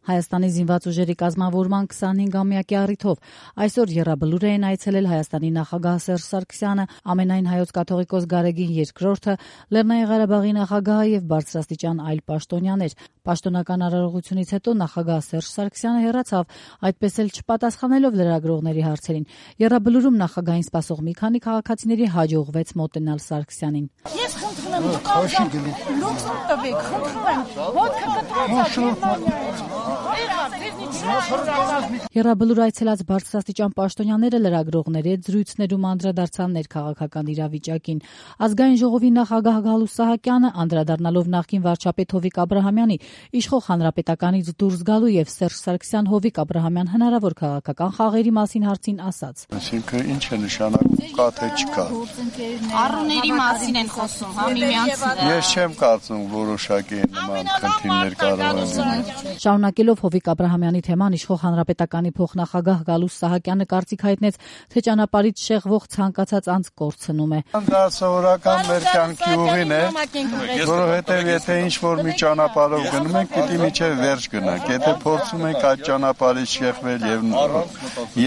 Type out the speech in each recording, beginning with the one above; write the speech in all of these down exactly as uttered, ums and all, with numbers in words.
Հայաստանի զինված ուժերի կազմավորման քսանհինգամյակի առիթով այսօր եռաբլուր էին այցելել Հայաստանի նախագահ Սերժ Սարգսյանը, ամենայն հայոց կաթողիկոս Գարեգին երկրորդը, Լեռնային Ղարաբաղի նախագահը եւ բարձրաստիճան այլ պաշտոնյաներ։ Պաշտոնական արարողությունից հետո նախագահ Սերժ Սարգսյանը հեռացավ, այդպես էլ չպատասխանելով լրագրողների հարցերին։ Եռաբլուրում նախագահին սպասող մի քանի քաղաքացիների հաջողվեց մոտենալ Սարգսյանին։ Ես խնդրում եմ դուք լուքսում տվեք, խնդրում եմ, ոտքը Եռաբլուր այցելած բարձրաստիճան պաշտոնյաները լրագրողների հետ զրույցներում անդրադարձան ներքաղաքական իրավիճակին։ Ազգային ժողովի նախագահ Գալուստ Սահակյանը անդրադառնալով նախկին վարչապետ Հովիկ Աբրահամյանի իշխող հանրապետականից դուրս գալու եւ Սերժ Սարգսյան Հովիկ Աբրահամյան հնարավոր քաղաքական խաղերի մասին հարցին ասաց. Այսինքն ինչ է նշանակում, կա թե չկա։ Առուների մասին են խոսում, հա միմյանց։ Ես չեմ կարծում որոշակի նման խնդիրներ կարող են լինել։ Շարունակելով Հովիկ Աբրահամյանի թեման իշխող հանրապետականի փոխնախագահ Գալուստ Սահակյանը կարծիք հայտնեց, թե ճանապարհից շեղվող ցանկացած անձ կորցնում է։ Դա սովորական մեր կյանքի ուղին է, որովհետև եթե ինչ-որ մի ճանապարհով գնում ենք, պիտի միջև վերջ գնանք։ Եթե փորձում ենք այդ ճանապարհից շեղվել եւ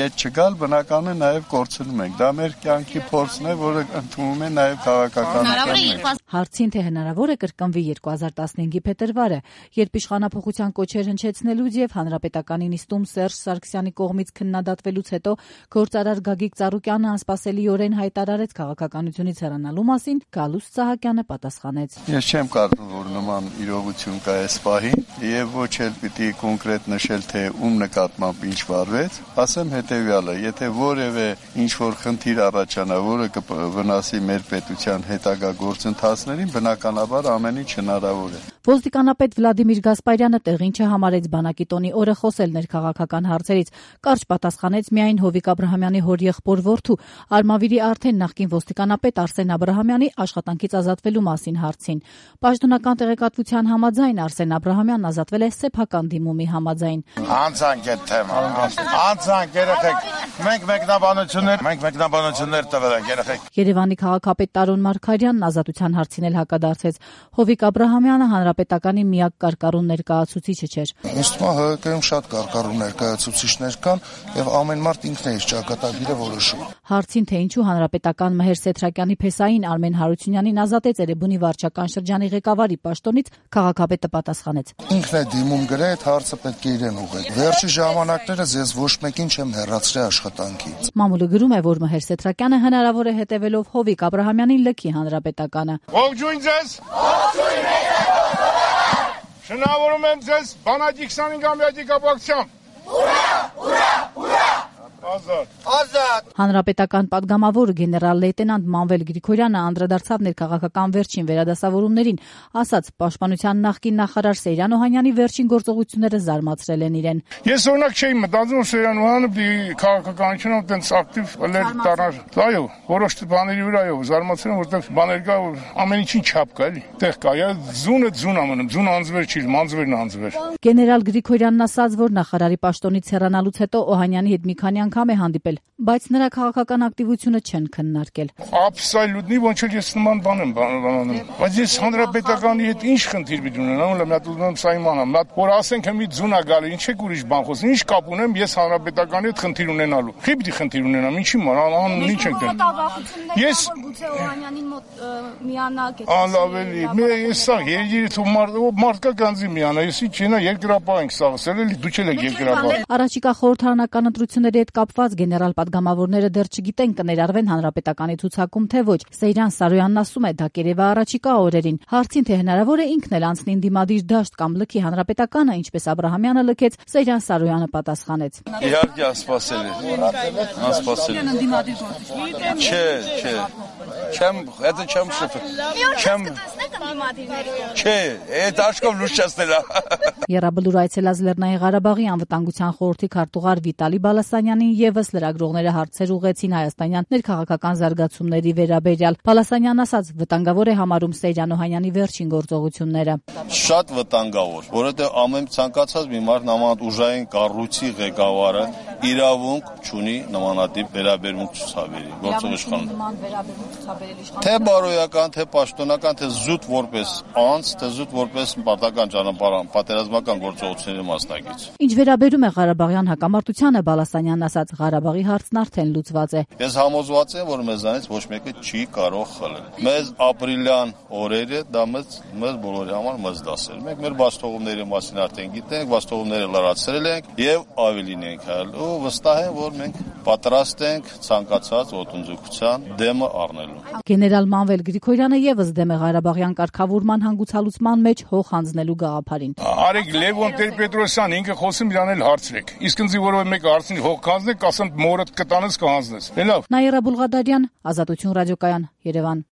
ետ չգալ, բնական է նաեւ կորցնում ենք։ Դա մեր կյանքի փորձն է, որը ընդունում է նաեւ քաղաքականությունը։ Հարցին թե հնարավոր է կրկնվի երկու հազար տասնհինգի փետրվարը, երբ իշխանափոխության կոչեր հնչեցնելուց եւ հանրապետականի նիստում Սերժ Սարգսյանի կողմից քննադատվելուց հետո գործարար Գագիկ Ծառուկյանը անսպասելիորեն հայտարարեց քաղաքականությունից հեռանալու մասին, Գալուստ Սահակյանը պատասխանեց. Ես չեմ կարծում, որ նման իրողություն կա այս պահին եւ ոչ էլ պիտի կոնկրետ նշել, թե ում նկատմամբ ինչ վարվեց, ասեմ հետեւյալը, եթե որևէ ինչ որ խնդիր առաջանա, որը կվնասի մեր պետության հետագա գործընթացներին, բնականաբար ամեն ինչ հնարավոր է։ Ոստիկանապետ Վլադիմիր Գասպարյանը տեղին չհամարեց բանակի տոնի օրը խոսել ներքաղաքական հարցերից, կարճ պատասխանեց միայն Հովիկ Աբրահամյանի հորեղբոր որդու Արմավիրի արդեն նախկին ոստիկանապետ Արսեն Աբրահամյանի աշխատանքից ազատվելու մասին հարցին։ Պաշտոնական տեղեկատվության համաձայն Արսեն Աբրահամյանն ազատվել է սեփական դիմումի համաձայն։ Անցանք այդ թեման, անցանք երեխեք, մենք մեկնաբանություններ, մենք մեկնաբանություններ տվել ենք երեխեք։ Երևանի քաղաքապետ Տարոն Մարգարյանն ազատության հարցին էլ հակադարձեց։ Հովիկ Աբրահամյանը հանրապետականի միակ կարկառուն ներկայացուցիչը չէր։ Ըստ մա ՀԿ-ում շատ կարկառուն ներկայացուցիչներ կան եւ ամեն մարդ ինքն է իր ճակատագիրը որոշում։ Հարցին թե ինչու հանրապետական Մհեր Սեթրակյանի փեսային Արմեն Հարությունյանին ազատեց Էրեբունի վարչական շրջանի ղեկավարի պաշտոնից, քաղաքապետը պատասխանեց. Ինքն է դիմում գրել, այդ հարցը պետք է իրեն ուղղել։ Վերջի ժամանակներս ես ոչ մեկին չեմ հեռացրել աշխատանքից։ Մամուլը գրում է, որ Մհեր Սեթրակյանը հնարավոր է հետևելով Հովիկ Աբրահամյանին լքի հանրապետականը։ Ողջույն ձեզ։ Շնորհավորում եմ ձեզ բանակի քսանհինգամյակի կապակցությամբ։ Ուրա, ուրա, ուրա։ Ազատ։ Ազատ։ Հանրապետական падգամավոր գեներալ լեյտենանտ Մանվել Գրիգորյանը անդրադարձավ ներքաղաքական վերջին վերադասավորումներին, ասաց պաշտպանության նախկին նախարար Սեյրան Օհանյանի վերջին գործողությունները զարմացրել են իրեն։ Ես օրինակ չէի մտածում Սեյրան Օհանը քաղաքականությունով տենց ակտիվ լեր դառնար։ Այո, որոշ բաների վրա այո, զարմացել եմ, որտեղ բաներ կա, ամեն ինչին չափ կա, էլի։ Տեղ կա, զունը զուն ամնում, զուն անձվեր չի, մանձվերն անձվեր։ Գեներալ Գրիգորյանն ասաց, որ նախարարի պաշտոնից հեռանալուց հետո Օհանյանի հետ մի քանի անգամ է հանդիպել, բայց նրա քաղաքական ակտիվությունը չեն քննարկել։ Абսոլютно ոչ էլ ես նման բան եմ բանանում։ Բայց ես հանրապետականի հետ ինչ խնդիր պիտի ունենամ, լավ մատ ուզում եմ սա իմանամ։ Մատ որ ասենք մի ձուն է գալի, ինչ եք ուրիշ բան խոսում, ինչ կապ ունեմ ես հանրապետականի հետ խնդիր ունենալու։ Խի պիտի խնդիր ունենամ, ինչի ման, ան ինչ ենք դեմ։ Ես գուցե Օհանյանին մոտ միանակ եք։ Ալավելի, მე ես սա երգիրը თუ մարդկա գանձի միանա, ես ինչ ենա երկրապահ ենք սաղսել, էլի դու չեք երկրապահ։ Առաջիկա խորհրդարանական ընտրությունների հետ կապված գեներալ պատգամավորները դեռ չգիտեն կներարվեն հանրապետականի ցուցակում թե ոչ։ Սեյրան Սարոյանն ասում է, դա կերևա առաջիկա օրերին։ Հարցին թե հնարավոր է ինքն էլ անցնի դիմադիր դաշտ կամ լքի հանրապետականը, ինչպես Աբրահամյանը լքեց, Սեյրան Սարոյանը պատասխանեց. Իհարկե անսպասելի։ Անսպասելի։ Չէ, չէ։ Չեմ, դա չեմ շփվել։ Չեմ Չէ, այդ աշկով լույս չստելա։ Եռաբլուր այցելած Լեռնային Ղարաբաղի անվտանգության խորհրդի քարտուղար Վիտալի Բալասանյանին եւս լրագրողները հարցեր ուղղեցին հայաստանյան ներքաղաքական զարգացումների վերաբերյալ։ Բալասանյանն ասաց, վտանգավոր է համարում Սեյրան Օհանյանի վերջին գործողությունները։ Շատ վտանգավոր, որովհետեւ ամեն ցանկացած մի մարդ նման ուժային կառույցի ղեկավարը իրավունք չունի նմանատիպ վերաբերմունք ցուցաբերի գործող իշխանության։ Թե բարոյական, թե պաշտոնական, թե զուտ որպես անձ, թե զուտ որպես պարտական ճանապարհ պատերազմական գործողությունների մասնակից։ Ինչ վերաբերում է Ղարաբաղյան հակամարտությանը, Բալասանյանն ասաց, Ղարաբաղի հարցն արդեն լուծված է։ Ես համոզված եմ, որ մեզանից ոչ մեկը չի կարող խլել։ Մեզ ապրիլյան օրերը դա մեզ մեզ բոլորի համար մեզ դասել։ Մենք մեր բաստողումների մասին արդեն գիտենք, բաստողումները լրացրել ենք եւ ավելին ենք հել։ Ու վստահ եմ, որ մենք պատրաստ ենք ցանկացած ոտնձգության դեմը առնելու։ Գեներալ Մանվել Գրիգորյանը եւս դեմ է Ղարաբաղյան կարգավորման հանգուցալուծման մեջ հող հանձնելու գաղափարին։ Արեք Լևոն Տեր-Պետրոսյան ինքը խոսում իրան էլ հարցրեք։ Իսկ ինձ որևէ մեկը հարցնի հող կանձնեք, ասեմ մորդ կտանես կհանձնես։ Լավ։ Նաիրա Բուլղադարյան, Ազատություն ռադիոկայան, Երևան։